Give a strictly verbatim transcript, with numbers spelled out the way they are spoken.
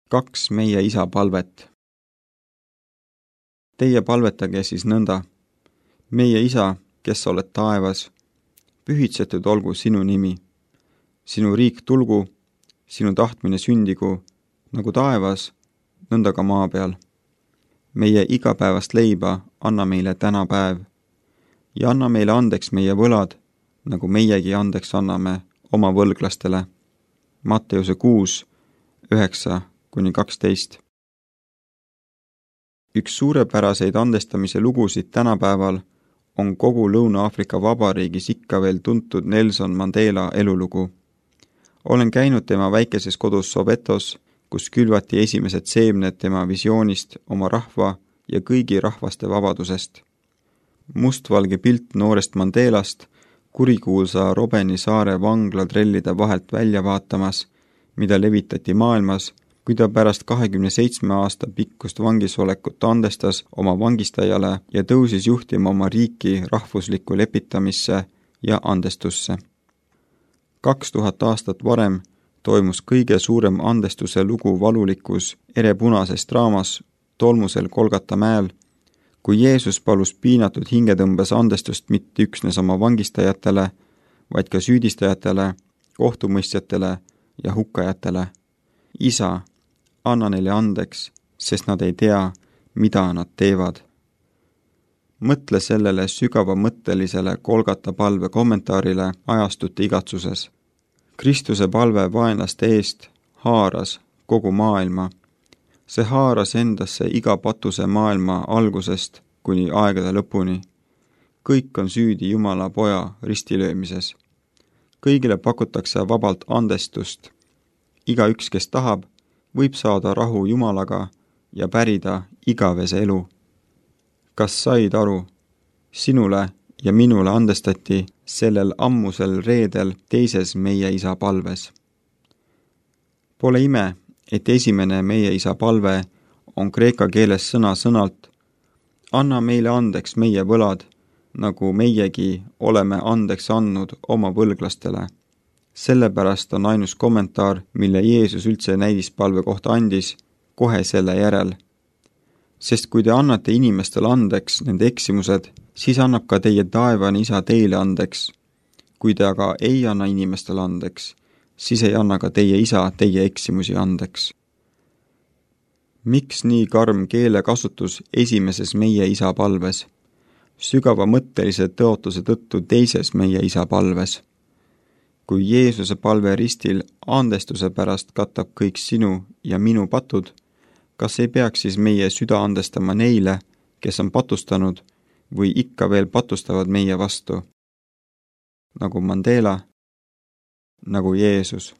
Kaks meie isa palvet. Teie palvetage siis nõnda. Meie isa, kes sa oled taevas, pühitsetud olgu sinu nimi. Sinu riik tulgu, sinu tahtmine sündigu, nagu taevas, nõnda ka maa peal. Meie igapäevast leiba anna meile täna päev ja anna meile andeks meie võlad, nagu meiegi andeks anname oma võlglastele. Matteuse kuus, üheksa kuni kaksteist. Üks suurepäraseid andestamise lugusid tänapäeval on kogu Lõuna-Aafrika Vabariigis ikka veel tuntud Nelson Mandela elulugu. Olen käinud tema väikeses kodus Sowetos, kus külvati esimesed seemned tema visioonist oma rahva ja kõigi rahvaste vabadusest. Mustvalge pilt noorest Mandelast kurikuulsa Robeni saare vanglatrellide vahelt välja vaatamas, mida levitati maailmas, kui ta pärast kahekümne seitsme aasta pikkust vangisolekut andestas oma vangistajale ja tõusis juhtima oma riiki rahvuslikku lepitamisse ja andestusse. Kaks tuhat aastat varem toimus kõige suurem andestuse lugu valulikus erepunases draamas tolmusel Golgata mäel, kui Jeesus palus piinatud hingetõmbes andestust mitte üksnes oma vangistajatele, vaid ka süüdistajatele, kohtumõistjatele ja hukkajatele. Isa, anna neile andeks, sest nad ei tea, mida nad teevad. Mõtle sellele sügavamõttelisele Golgata palve kommentaarile ajastute igatsuses. Kristuse palve vaenlaste eest haaras kogu maailma. See haaras endasse iga patuse maailma algusest kuni aegade lõpuni. Kõik on süüdi Jumala poja ristilöömises. Kõigile pakutakse vabalt andestust. Iga üks, kes tahab, võib saada rahu Jumalaga ja pärida igavese elu. Kas said aru? Sinule ja minule andestati sellel ammusel reedel teises meie isa palves. Pole ime, et esimene meie isa palve on kreeka keeles sõna sõnalt: anna meile andeks meie võlad, nagu meiegi oleme andeks andnud oma võlglastele. Sellepärast on ainus kommentaar, mille Jeesus üldse näidispalve kohta andis, kohe selle järel. Sest kui te annate inimestele andeks nende eksimused, siis annab ka teie taevane isa teile andeks. Kui te aga ei anna inimestele andeks, siis ei anna ka teie isa teie eksimusi andeks. Miks nii karm keelekasutus esimeses meie isa palves? Sügava mõttelise tõotuse tõttu teises meie isa palves. Kui Jeesuse palve ristil andestuse pärast katab kõik sinu ja minu patud, kas ei peaks siis meie süda andestama neile, kes on patustanud või ikka veel patustavad meie vastu? Nagu Mandela, nagu Jeesus.